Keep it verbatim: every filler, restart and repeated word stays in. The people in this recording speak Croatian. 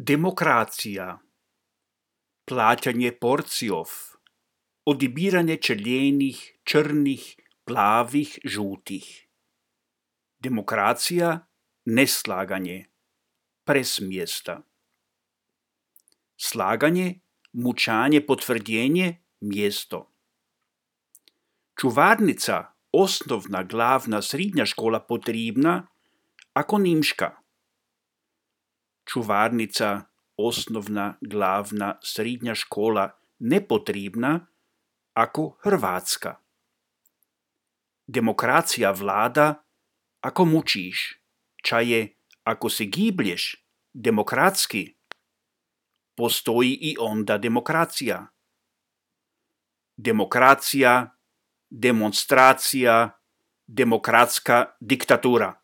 Demokracija. Plaćanje porcijov. Odibiranje červenih, črnih, plavih, žutih. Demokracija, neslaganje. Presmjesta. Slaganje, mučanje, potvrdjenje, mjesto. Čuvarnica, osnovna, glavna, srednja škola potrebna, ako nemška. Čuvarnica, osnovna, glavna, srednja škola nepotrebna, ako hrvatska. Demokracija vlada, ako mučiš. Čaje, ako se giblješ, demokratski. Postoji i onda demokracija. Demokracija, demonstracija, demokratska diktatura.